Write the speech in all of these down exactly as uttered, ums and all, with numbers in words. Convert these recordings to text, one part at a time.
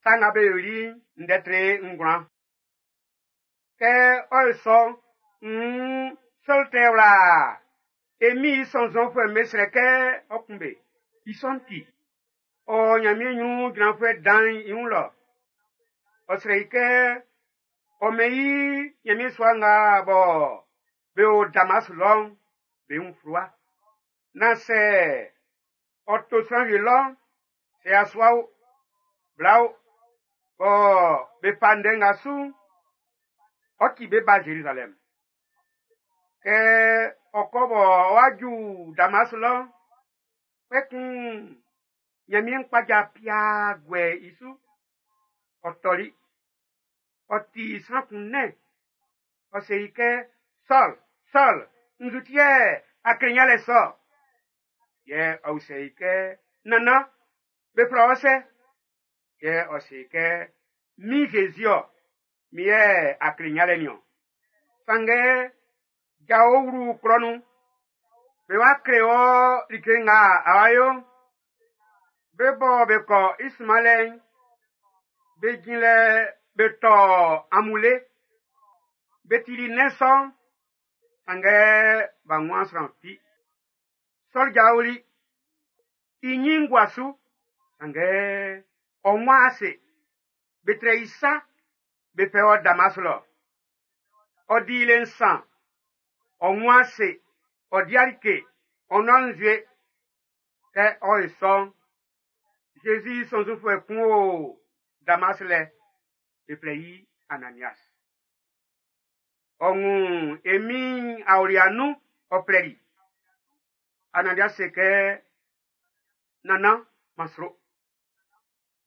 Sa nga be yoli'n ndɛ tre ngwlan. Kɛ ɔ yo sɔ'n, nn Sɔl tɛ wla e Min'n i sɔnnzɔnfuɛ'm be srɛ kɛ ɔ kun be. I sɔ'n ti, ɔ Ɲanmiɛn ɲrun jranfuɛ dan'n i wun lɔ. Ɔ srɛ i kɛ ɔ mɛn i Ɲanmiɛn sua nga bɔ be o Damas lɔ'n be wun fluwa. Naan sɛ ɔ to sran wie lɔ'n, sɛ yasua o, bla o, bɔ be fa ndɛ nga su'n, ɔ ti be ba Zerizalɛm. Kɛ ɔ kɔ bɔ ɔ'a ju Damas lɔ'n, kpɛkun Ɲanmiɛn kpaja piaa guɛ i su. Ɔ tɔli. Ɔ ti sran kun nɛn. Ɔ se i kɛ, Sɔl, Sɔl, nzu ti yɛ a kle yalɛ sɔ? Yɛ ɔ usɛ i kɛ, Nannan, be flɛ wɔ sɛ? Yɛ ɔ se i kɛ, Min Zezi-ɔ, min yɛ a kle yalɛ nin-ɔn. Sanngɛ jao wlu klɔ nun. Be wa kle wɔ like nga a wa yo'n. Be bɔ be kɔ i sunmanlɛ'n, be jin lɛ be tɔ amule. Be tili nnɛn sɔ'n, sanngɛ b'a wunman sran fi. Sɔl jaoli, i ɲin gua su, sanngɛ ɔ wun ase. Be trɛ i sa, be fɛ ɔ Damas lɔ. Ɔ di le nsan, ɔ wun ase, ɔ di like, ɔ nɔn nzue. Kɛ ɔ yo sɔ'n, Zezi i sɔnnzɔnfuɛ kun o Damas lɛ, be flɛ i Ananias. Ɔ wun e Min'n aolia nun, ɔ flɛli. Ananias se kɛ, Nannan, man sro.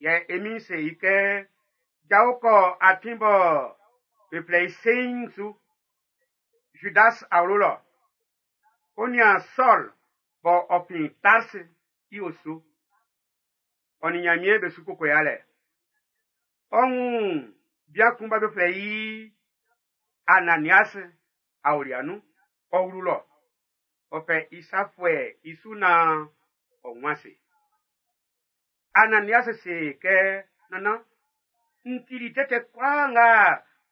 Yɛ e Min'n se i kɛ, Jao kɔ atin bɔ be flɛ i seiin'n su. Judas awlo lɔ. O nian Sɔl bɔ ɔ fin Tars i osu. Ɔ nin Ɲanmiɛn be su koko yalɛ. Ɔ wun bian kun bɔ be flɛ i Ananias aolia nun, ɔ wlu lɔ. Ɔ fɛ i sa fuɛ i su naan ɔ wun ase. Ananias se kɛ, Nannan, n tili tɛtɛ kwlaa nga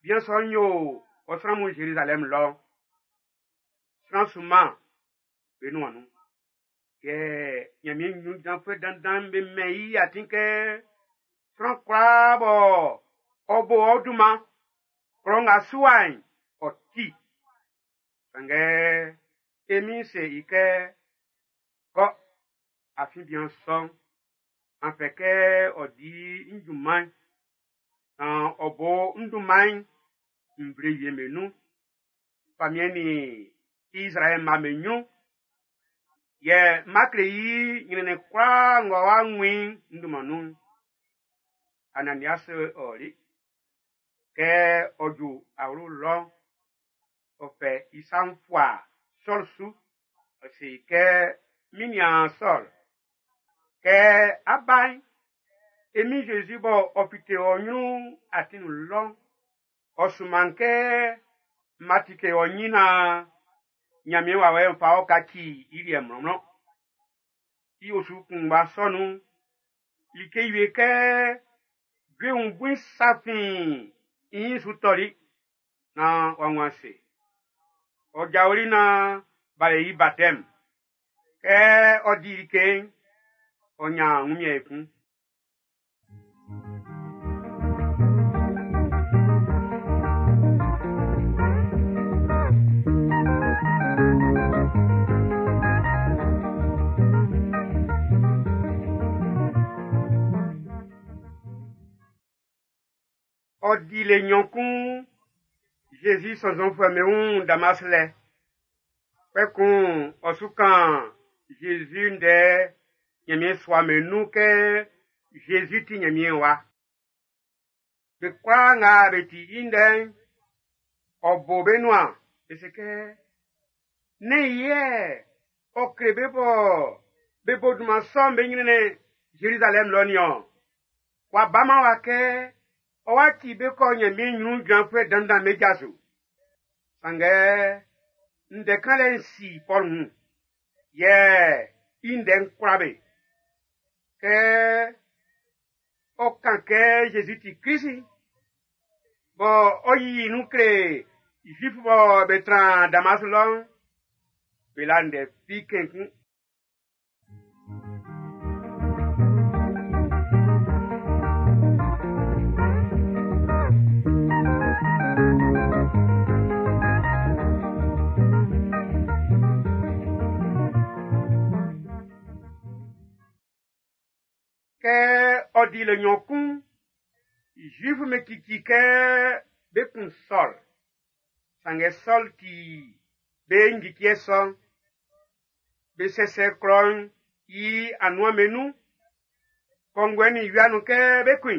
bian sɔ'n yo ɔ sran mun Zerizalɛm lɔ'n. Sran sunman be nuan nun. Yɛ Ɲanmiɛn ɲrun jranfuɛ dandan'm be mɛn i atin kɛ sran kwlaa bɔ ɔ bo ɔ dunman klɔ nga su wa'n, ɔ ti. Sanngɛ e Min'n se i kɛ, kɔ, afin bian sɔ'n, an fɛ kɛ ɔ di n junman'n, naan ɔ bo n dunman'n nvle wie'm be nun. Famiɛn nin Izraɛl mma'm be ɲrun. Yɛ n ma kle i ɲrɛnnɛn kwlaa ng'ɔ wa wun i n dunman nun'n. Ananias ɔli. Kɛ ɔ ju awlo lɔ'n, ɔ fɛ i sa'n fua Sɔl su. Ɔ se i kɛ, min niaan Sɔl, kɛ á bá'n, e Min Zezi bɔ ɔ fite ɔ ɲrun atin nun lɔ'n, ɔ sunman kɛ ma tike ɔ ɲin naan Ɲanmiɛn wawɛ'n fa ɔ kaci i liɛ mlɔnmlɔn. I osu kunngba sɔ nun'n, like wie kɛ jue wun bui sa fin i ɲin su tɔli naan w'a wun ase. Ɔ jaoli naan b'a yo i batɛm. Kɛ ɔ di like'n, ɔ ɲan wunmiɛn ekun. Ɔ di le nɲɔn kun Zezi sɔnnzɔnfuɛ'm be wun Damas lɛ. Kpɛkun ɔ su kan Zezi ndɛ Ɲanmiɛn sua'm be nun kɛ Zezi ti Ɲanmiɛn wa. Be kwlaa nga be ti i ndɛ'n, ɔ bo be nuan, be se kɛ, Nɛ́n i yɛ ɔ kle be bɔ be bo dunman sɔ'n be ɲrɛnnɛn Zerizalɛm lɔ nin-ɔn. W'a baman wa kɛ ɔ wa ti be kɔ Ɲanmiɛn ɲrun jranfuɛ dandan'm be ja su. Sanngɛ ndɛ kanlɛ'n si Pɔl wun, yɛ i ndɛ'n kwla be. Kɛ Ɔ kan kɛ Jésus ti Krist. Bɔ ɔ yiyi nun kle Zuif bɔ be tran Damas lɔ'n, be la ndɛ fi kenkun. Kɛ ɔ di le nɲɔn kun, Zuif me kiki kɛ be kun Sɔl. Sanngɛ Sɔl ti be ngikiɛ sɔ'n. Be sɛsɛ klɔ'n i anuan be nun. Kɔnguɛ ni wia nun kɛ be kun.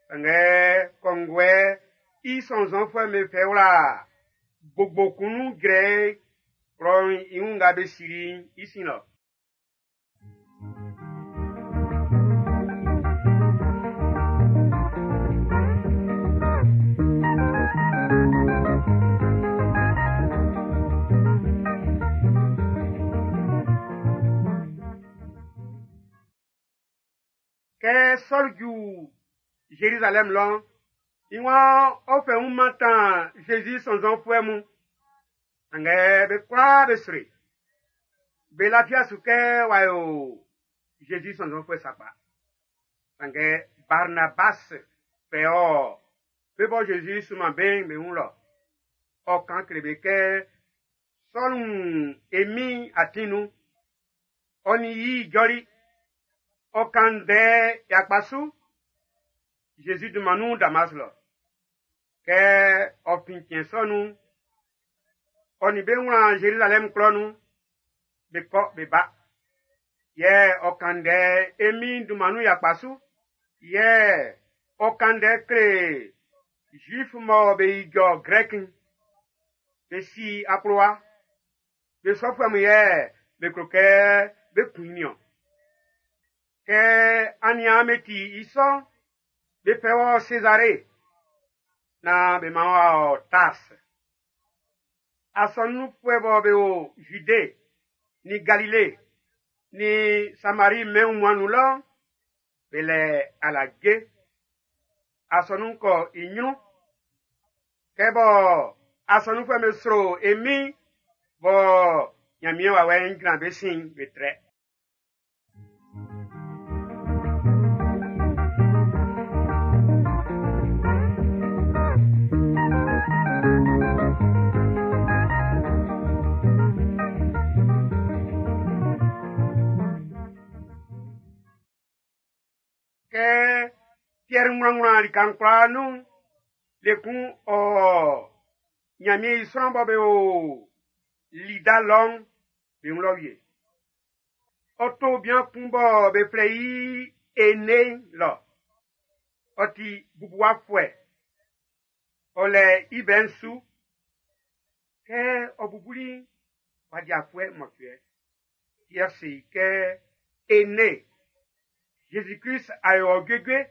Sanngɛ kɔnguɛ i sɔnnzɔnfuɛ'm be fɛ wla gbogbo kun nun jrɛ klɔ'n i wun nga be sili i sin lɔ. Kɛ Sɔl ju Jérusalem lɔ'n, i waan ɔ fɛ wun mantan Jésus sɔnnzɔnfuɛ mun. Sanngɛ be kwlaa be sri. Be lafia su kɛ w'a yo Jésus sɔnnzɔnfuɛ sakpa. Sanngɛ Barnabas fɛ ɔ be bɔ Jésus suman be'n be wun lɔ. Ɔ kan kle be kɛ Sɔl wun emi atin nun. Ɔ ni yi jɔli. Ɔ kan ndɛ yakpa su. Jésus dunman nun Damas lɔ. Kɛ ɔ fin cɛn sɔ nun'n, ɔ ni be wlan Jérusalem klɔ nun, be kɔ be ba. Yɛ ɔ kan ndɛ emi dunman nun yakpa su. Yɛ ɔ kan ndɛ kle Juif mɔ be ijɔ Grɛk'n. Be si akplowa. Be sɔfuɛ mun yɛ be klo kɛ be kun i niɔn. Kɛ aniaan be ti i sɔ'n, be fɛ wɔ Césarée na be ma wɔ Tars. Asɔnunfuɛ bɔ be o Judée ni Galilée ni Samarie mɛn wunmuan nun lɔ, be lɛ alage. Asɔnun kɔ i ɲrun. Kɛ bɔ asɔnunfuɛ be sro emi bɔ Ɲanmiɛn wawɛ'n jran be sin be trɛ. Kɛ Pierre ŋwlanwlan lika'n kwlaa nun, le kun ɔ Ɲanmiɛn i sran bɔ be o Lida lɔ'n, be wun lɔ wie. Ɔ to bian kun bɔ be flɛ i Ene lɔ. Ɔ ti bubuwafuɛ. Ɔ lɛ i bɛ'n su. Kɛ ɔ bubuli w'a di afuɛ mɔcuɛ. Pierre se i kɛ Ene, Jésus-Christ a yɔ juejue,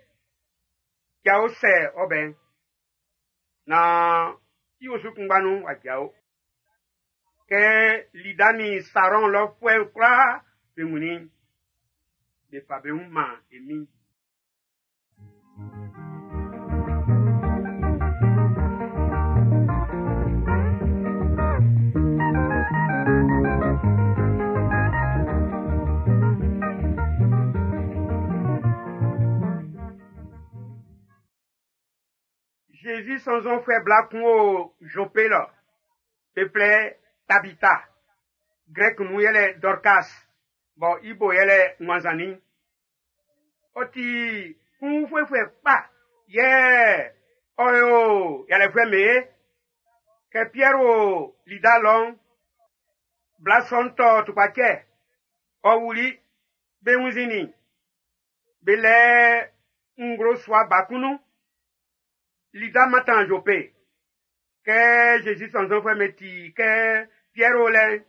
jao sɛ ɔbɛn. Na i osu kunngba nun w'a jao. Kɛ Lida ni Saron lɔfuɛ'n kwlaa be wunnin, be fa be wun man emi. Jésus sɔnnzɔnfuɛ bla kun o Joppe lɔ. Be flɛ Tabita. Grɛk nun yɛlɛ Dorcas, bɔ i bo yɛlɛ ŋwanzannin. Ɔ ti kunfuɛfuɛ kpa, yɛ ɔ yo yalɛfuɛ me. Kɛ Pierre o Lida lɔ'n, bla sɔ'n tɔ tukpacɛ. Ɔ wuli, be wunnzinnin. Be lɛ nglo sua ba kun nun. Lida mantan Joppe. Kɛ Jésus sɔnnzɔnfuɛ me ti kɛ Pierre o lɛ,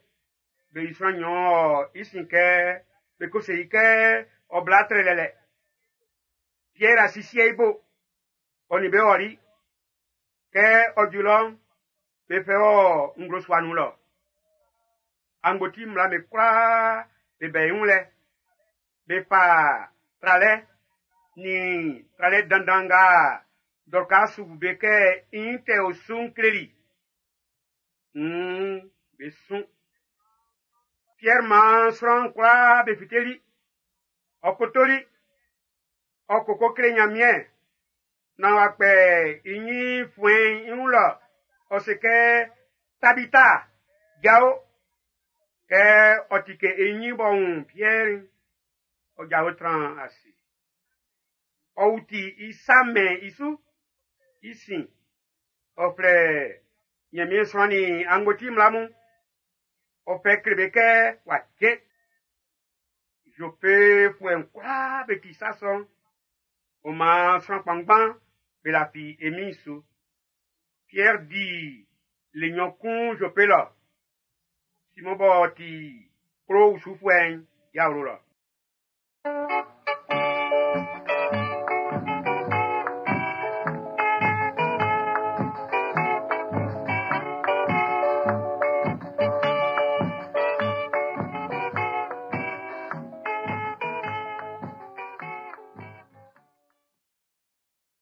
be yi sran nɲɔn ɔ i sin kɛ be ko se i kɛ ɔ bla trɛlɛlɛ. Pierre asisie i bo, ɔ ni be ɔli. Kɛ ɔ ju lɔ'n, be fɛ wɔ nglo sua nun lɔ. Angboti mmla be kwlaa be bɛ i wun lɛ. Be fa tralɛ Nin tralɛ dandan nga Dɔrkas bu be kɛ i nyin tɛ o su'n kleli. Nn be sun. Piɛr maan sran kwlaa be fiteli. Ɔ kotoli. Ɔ koko kle Ɲanmiɛn. Naan w'a kpɛ i ɲin fuɛn'n i wun lɔ. Ɔ se kɛ Tabita, jao. Kɛ ɔ tike i ɲin b'ɔ wun Piɛr'n, ɔ jao tran ase. Ɔ wuti i sa mɛn i su. I sin, ɔ flɛ Ɲanmiɛn srannin angboti mmla mun. Ɔ fɛ kle be kɛ w'a cɛn. Zopefuɛ'n kwlaa be ti sa sɔ'n. Ɔ maan sran kpanngban be lafi e Min'n su. Pierre di le nɲɔn kun Jope lɔ. Simɔn b'ɔ ti kplo usufuɛ'n i awlo lɔ.